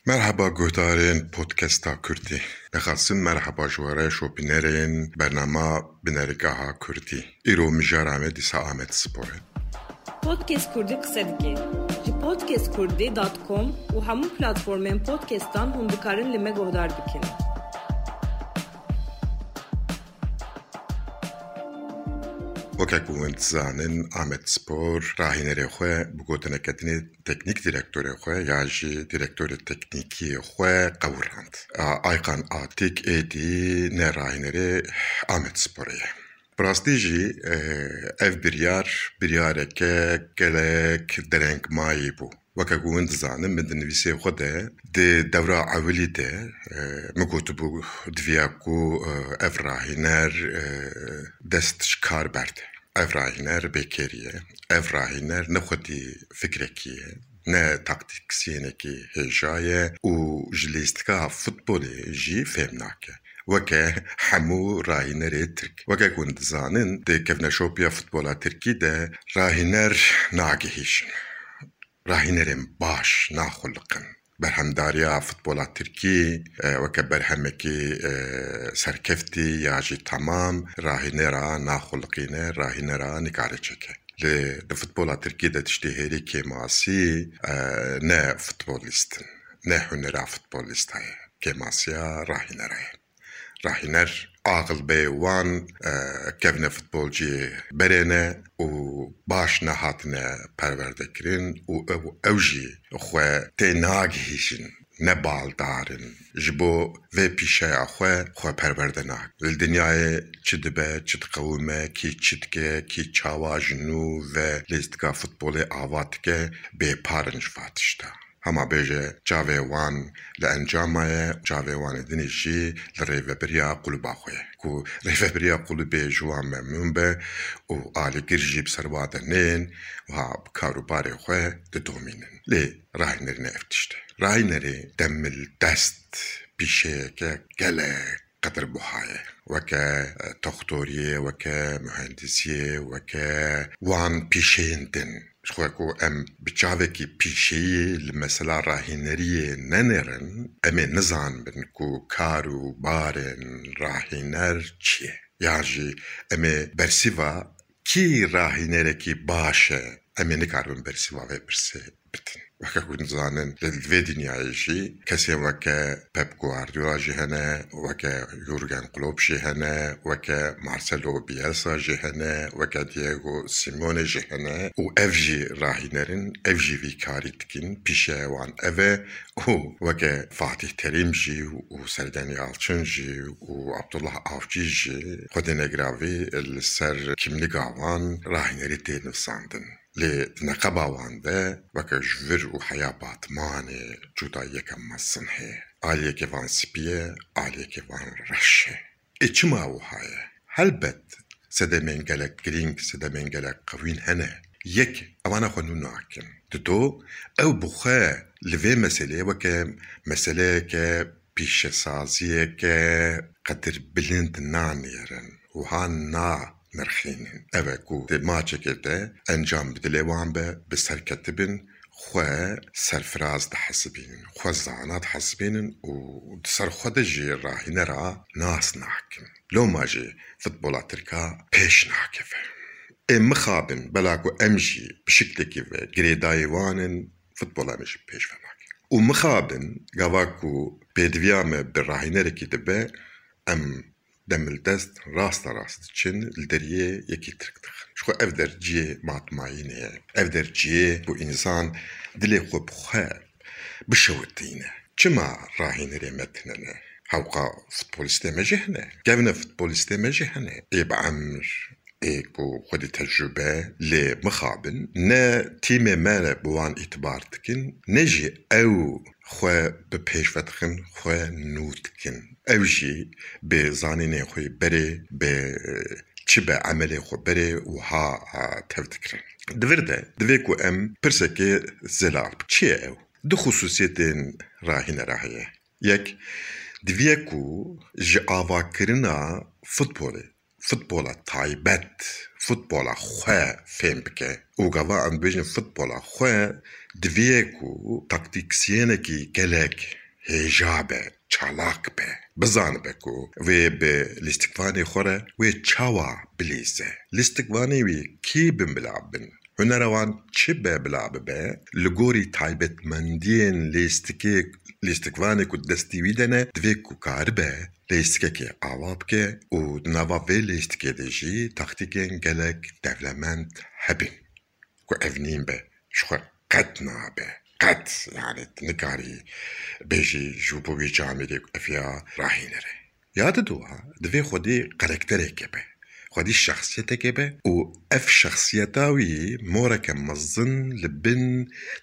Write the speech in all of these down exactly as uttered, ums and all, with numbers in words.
Merheba guhdarên Podcasta Kurdî. Dixwazim merheba ji we re şopînerên bernama Binerigaha Kurdî. Îro mijara me dîsa Amed Spor e. Podcast Kurdî qise dike. Ji podcast kurdî dot com û hemû platformên podcastan hûn dikarin li me guhdar bikin. Weke ku hûn dizanin, Amed Spor rahînerê xwe bi gotineke dinê teknîk direktorê xwe ya jî direktorê teknîkî xwe qewirand. A, Aykan Atik êdî ne rahînerê Amed Sporê ye. Bi rastî jî, e, ev biryar, biryareke gelek derengmayî bû. Weke ku hûn dizanin, min di nivîsê xwe de, di dewra ewilî de, e, min gotibû, diviya ku, e, ev rahîner, e, dest ji kar berde. Ev rahîner bêkêrî ye. Ev rahîner ne xwedî fikrekî ye, ne taktîksiyênekî hêja ye û ji lîstika futbolê jî fêm nake. Weke hemû rahînerê Tirk. Weke ku hûn dizanin, di kevneşopiya futbola Tirkî de rahîner nagihîjin. Rahînerên baş naxuliqin. Berhemdariya futbola Tirkî, e, weke berhemekî, e, serkeftî ya jî temam, rahînera naxuliqîne, rahînera nikare çêke. Lê di futbola Tirkî de tiştê hêrî kêmasî, e, ne futbolîst in, ne hunera futbolîsta ye. Kêmasiya rahînera ye. Rahîner aqil bê wan, e, kevne futbolciyê berê ne û baş nehatine perwerdekirin û ew, ew jî xwe tê nagihîjin, ne baldar in. Ji bo vê pîşeya xwe, xwe perwerde nakin. Li dinyayê çi dibe, çi diqewime, kî çi dike, kî çawa ji nû ve lîstika futbolê ava dike, bêpar in ji va tişta. Hema bêje çavê wan li encama ye, çavê wan ê dinê jî li rêvebiriya qulûba xwe ye. Ku rêvebiriya qulûbê ji wan memnûn be û alîgir jî bi ser wa de nên, wiha bi kar û barê xwe didomînin. Lê rahînerî ne ev tişt e. Rahînerê demildest pîşeyeke gelek qedirbuha ye. Weke, e, toxtoriyê, weke muhendisiyê, weke wan pîşeyên din. Ji xwe ku em bi çavekî pîşeyî li mesela rahîneriyê nenêrin, em ê nizanibin ku kar û barên rahîner çi ye. Yan jî em ê bersîva kî rahînerekî baş e, em ê nikaribin bersîva vê pirsê bidin. Weke ku dizanin, li vê dinyayê jî kesên weke Pep Guardiola jî hene, weke Jurgen Klopp jî hene, weke Marcelo Bielsa jî hene, weke Diego Simeone jî hene û ev jî rahîner in, ev jî vî karî dikin, pîşeya wan ev e û weke Fatih Terim jî û Sergen Yalçın jî û Abdullah Avcı jî xwedê negiravî li ser kîmliga wan rahînerî tê nivîsandin. Lê di neqeba wan de weke ji vir û heya Batmanê cudayiyeke mezin heye. Aliyekê van spî ye, aliyekê van reş e. Ê çima wiha ye? Helbet sedemên gelek girîng, sedemên gelek qewîn hene. Yek, evana xwe nû nakin. Dido, ew bi xwe li vê meselê weke meseleyeke pîşesaziyeke qedirbilind nanêrin, wiha nanirxînin. Ev e ku di maçekê de encam bi dilê wan be, bi serketibin, xwe serfiraz dihesibînin, xwe zana dihesibînin û di ser xwe de jî rahînera nas nakin. Loma jî futbola tirka pêş nakeve. Ê mixabin, bela ku em jî bi şiklekî ve girêdayî wan in, futbola me jî pêş ve nake. Û mixabin, gava ku pêdiviya me bi rahînerekî dibe, em demildest rasta rast diçin, li deriyê yekî tirk dixin. Ji xwe ev der cihê matmayînê ye. Ev der cihê ku însan dilê xwe bi xwe bişewitîne. Çima rahînerê me tune ne? Hewqa futbolîstê me jî hene. Kevne futbolîstê me jî hene. Ê bi emir, ê ku xwedî tecrûbe lê mixabin, ne tîmê me re bi wan îtibar dikin, ne jî ew xwe bi pêş ve dixin, xwe nû dikin. Ew jî bi zanînê xwe berê, bi, e, çi be emelê xwe berê wiha, e, tev dikirin. Di vir de divê ku em pirsekê zelal, çi ye ew? Du xusûsiyetên rahînera heye. Yek, diviye ku ji avakirina futbolê, futbola taybet, futbola xwe fêm bike. Û gava em dibêjin futbola xwe, divê ku taktîksyenekî gelek hêja be, çalak be, bizanibe ku wê bi lîstikvanê xwe re wê çawa bilîze. Lîstikvanê wî kî bin bila bin? Hunera wan çi be bila bibe, li gorî taybetmendiyên lêstikê, lêstikvanê ku destî wî de ne, divê ku karibe lêstikekê ava bike û di nava vê lêstikê de jî taktîkên gelek dewlemend hebin. Ku ev nîn be, ji xwe qet nabe. Qet, yani, tu nikarî bêjî ji bo wî camêrê ku ev ya Rahîner e. Ya diduwa, divê xwedî karaktereke be. Xwedî şexsiyeteke be û ev şexsiyeta wî moreke mezin li bin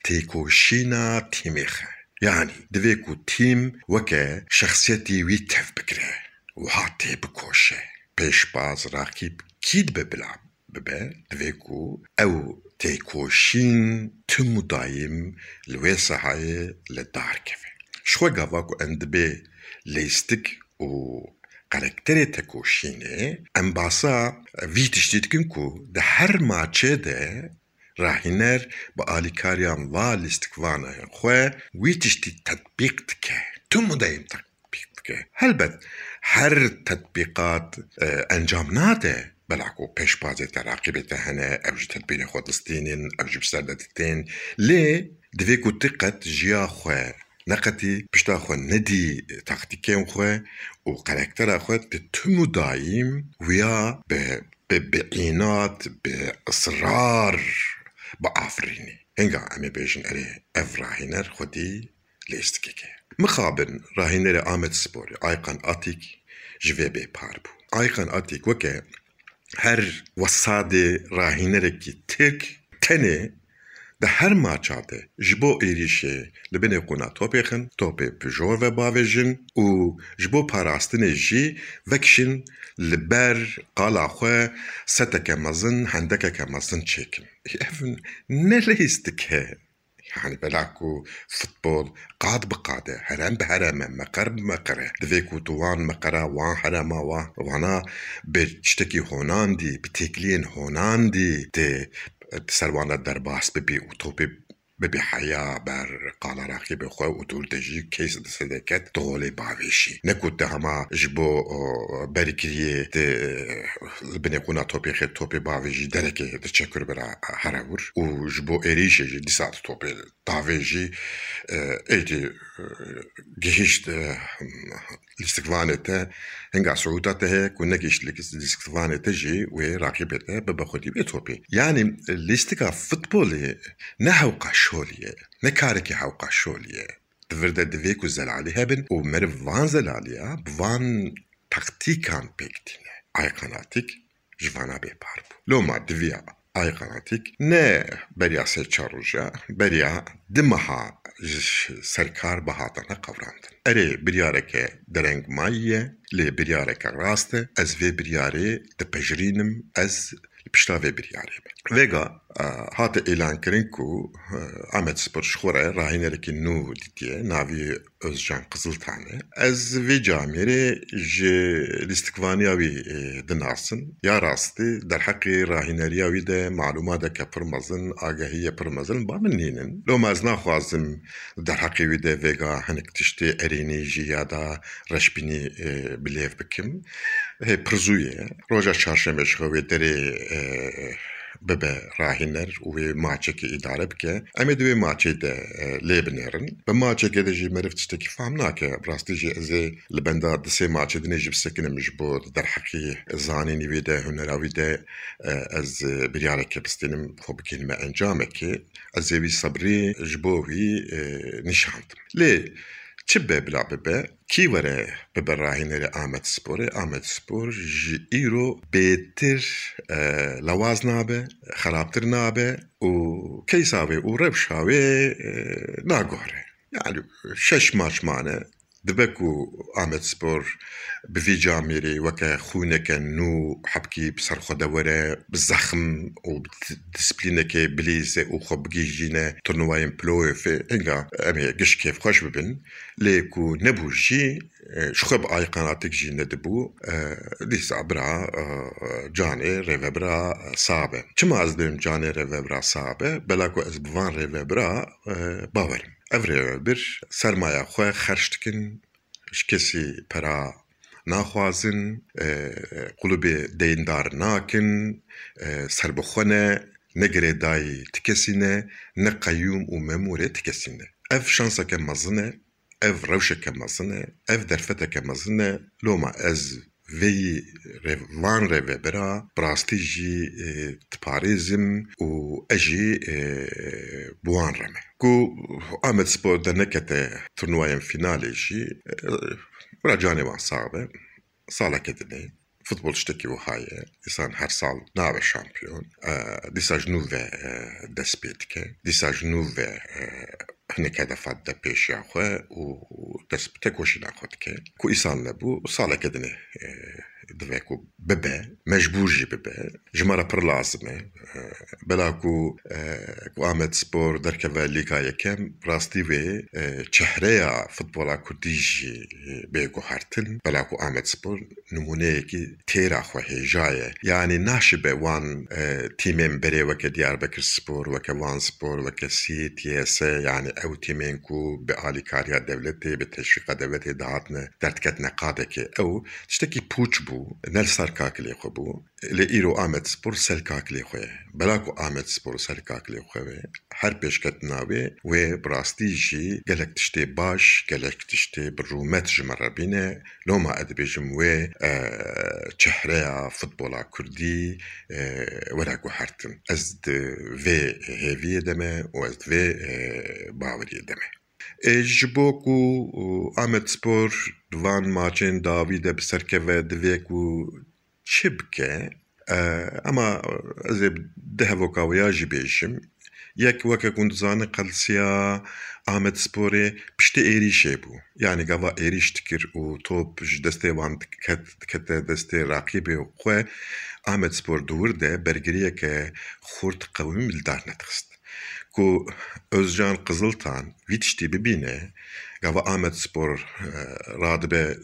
têkoşîna tîmê xe. Yani, divê ku tîm weke şexsiyetî wî tev bigire, wiha tê bikoşe. Pêşbaz, raqîb kî dibe bila bibe, divê ku ew têkoşîn tim û dayîm li wê sahayê li dar keve. Ji xwe gava ku em dibê lêstik û karakterê tekoşînê, em basa vî tiştî dikin ku di her maçê de Rahîner bi alîkariya va lîstikvanên xwe wî tiştî tetbîq dike. Tim û dayîm pêk bike. Helbet her tetbîqat, e, encam nade, bela ku pêşbazê te, raqîbê te hene, ew ji tedbîrê xwe distînin, ew ji bi ser de ditên. Lê divê ku tu qet jiya xwe neqetî, pişta xwe nedî taktîkên xwe û karaktera xwe, tu tim û dayîm wiya bi, bi, bi înat, bi israr biafirînî. Hinga em ê bêjin, erê, ev Rahîner xwedî lêstikek e. Mixabin Rahînerê Amedsporê Aykan Atîk ji vê bêpar bû. Aykan Atîk weke her wesadê rahînerekî Tirk tenê di her maça de ji bo êrîşê li binê qûna topê xin, topê bi jor ve bavêjin û ji bo parastinê jî vekişin li ber qala xwe seteke mezin, hendekeke mezin çêkin. Ev ne lêstik e. Yani bela ku futbol qad bi qad e, herem bi herem e, meqer bi meqer e. Divê ku tu wan meqera, wan herema, wa-, wana bi tiştekî honandî, bi têkiliyên honandî tê, di ser wan de derbas bibî û topê bibî heya ber qala raqîbê xwe û dûr de jî keys di sedeket di holê bavêjî. Ne ku te hema ji bo, o, berîkiriyê di, li binê qûna topê xê topê bavêjî derekê di çekur bira here wir û ji bo êrîşê jî dîsa di topê davêjî, e, êdî, e, gihîşt, e, lîstikvanê te, hinga siûta te heye ku negihîşt lîstikvanê te jî wê raqîbê te bibe xwedî wê topê. Yanî lîstika futbolê ne hewqa şolî ye, ne karekî hewqa şolî ye. Di vir de divê ku zelalî hebin û meriv van zelaliya bi van taktîkan pêk tîne. Aykan Atîk ji vana bêpar bû. Loma diviya Aykan Atîk ne beriya sê çar roja, beriya di meha ji ser kar bihatane qevrandin. Erê, biryareke dereng mayî ye, lê biryareke rast e. Ez vê biryarê dipejirînim, ez li pişta vê biryarê me. Vêga, e, hate îlankirin ku, e, Amedspor ji xwe re rahînerekî nû dîtiye, navî Özcan Kızıltan e. Ez vê camêrê ji lîstikvaniya wî, e, dinasin. Ya rastî derheqê rahîneriya wî de malûmateke pir mezin, agahiyê pir mezin ba min nînin. Loma ez naxwazim derheqê wî de vêga hinek tiştê erênî jî ya da reşbînî, e, bi lêv bikim. Hê pir zû ye. Roja çarşemê ji xwe wê derê, e, bibe rahîner û wê maçekê îdare bike. Em ê di wê maçê de, e, lê binêrin. Bi maçekê de jî meriv tiştekî fam nake. Bi rastî jî ez ê li benda di sê maçê dinê jî bisekinim ji bo di derheqî zanînî wî de, hunera wî de, e, ez, e, biryareke bistînim, xwe bigihînime encamekê. Ez ê wî sebrî ji bo wî, e, nîşandim. Lê çi be bila bibe, kî were bibe rahînerê Amedsporê, Amedspor ji îro bêtir, e, lawaz nabe, xerabtir nabe û keysa wê û rewşa wê, e, naguhere. Yani şeş maç mane, Dibe ku Amedspor bi vî camêrê weke xwîneke nû hebkî bi ser xwe de were, bi zexm û bi di-, disiplînekê bilîze û xwe bigihîjîne turnuvayên playoffê, hinga em ê giş kêfxweş bibin. Lê ku nebû jî, e, ji xwe bi ay qenatik jî nedibû. E, dîsa bira, e, canê rêvebira sax be. Çima ez dibêm canê rêvebira sax be? Bela ku ez bi van rêvebira, e, bawer im. Ev rêvebir sermaya xwe xerc dikin, ji kesî pera naxwazin, e, qulubê deyndar nakin, e, serbixwe ne, ne girêdayî ti kesî ne, ne qeyûm û memûrê ti kesî ne. Ev şanseke mezin e, ev rewşeke mezin e, ev derfeteke mezin e. Loma ez vêyî rê-, van rêvebira bi rastî jî, e, diparêzim û ez jî, e, bi wan re me. Ku Amedspor de nekete turnuvayên fînalê jî, e, bira canê wan sax be. Saleke dinê futbol tiştekî wiha ye. Însan her sal nabe şampiyon. E, dîsa ji nû ve, e, dest pê dike. Dîsa ji nû ve, e, hinek hedefa dide pêşiya xwe û dest bi tekoşîna xwe dike. Ku îsal nebû, saleke dinê, e, divê ku bibe, mecbûr jî bibe. Ji me re pir lazim e. E, bela ku, e, ku Amedspor derkeve Lîga Yekem, rastî wê, e, çehreya futbola kurdî jî, e, bê guhertin. Bela ku Amedspor nimûneyekî têra xwe hêja ye. Yanî naşibe wan, e, tîmên berê weke Diyarbekirspor, weke Vanspor, weke Sîrt, Y S, yanî ew tîmên ku bi alîkariya dewletê, bi teşwîqa dewletê dihatine derdiketine qadekê. Ew tiştekî pûç bû, ne li ser kakilê xwe bû. Lê îro Amedspor ser kakilê xwe ye. Bela ku Amedspor ser kakilê xwe be, her pêşketina wê, wê bi rastî jî gelek tiştê baş, gelek tiştê bi rûmet ji me re bîne. Loma ez dibêjim wê, e, çehreya futbola kurdî, e, were guhertin. Ez di vê hêviyê de me û ez di vê, e, baweriyê de me. E, ji bo ku, e, Amedspor di van maçên dawî de bi ser keve, divê ku çi bike? E, ema ez ê di hevoka wê ya jî bêjim. Yek, weke ku hûn dizanin, qelsiya Amedsporê piştî êrîşê bû. Yanî gava êrîş dikir û top ji destê wan diket, dikete destê raqîbê xwe, Amedspor di wir de bergiriyeke xurt qewimî li dar nedixist. Ku Özcan Qiziltan vî tiştî bibîne, gava Amedspor, e, radibe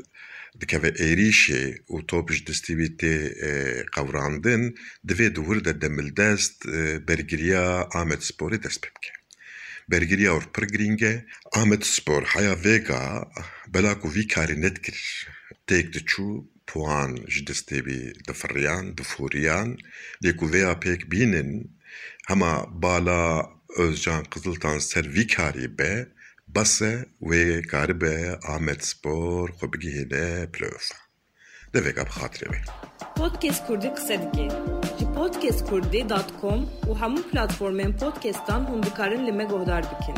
dikeve êrîşê û top ji destê wî tê, e, qewrandin, divê di wir de demildest, e, bergiriya Amedsporê dest pê bike. Bergiriya wir pir girîng e. Amedspor heya vêga bela ku vî karî nedikir, têk diçû, puan ji destê wî difiriyan, diforiyan. Lê ku vêya pêk bînin, hema bala Özcan Qiziltan ser vî karî be, bes e, wê karibe Amedspor xwe bigihîne playoff. Devêka bi xatirê wê. Podcast Kurdî qise dike. Ji podcast kurdî dot com û hemû platformên podcastan hûn dikarin li me guhdar bikin.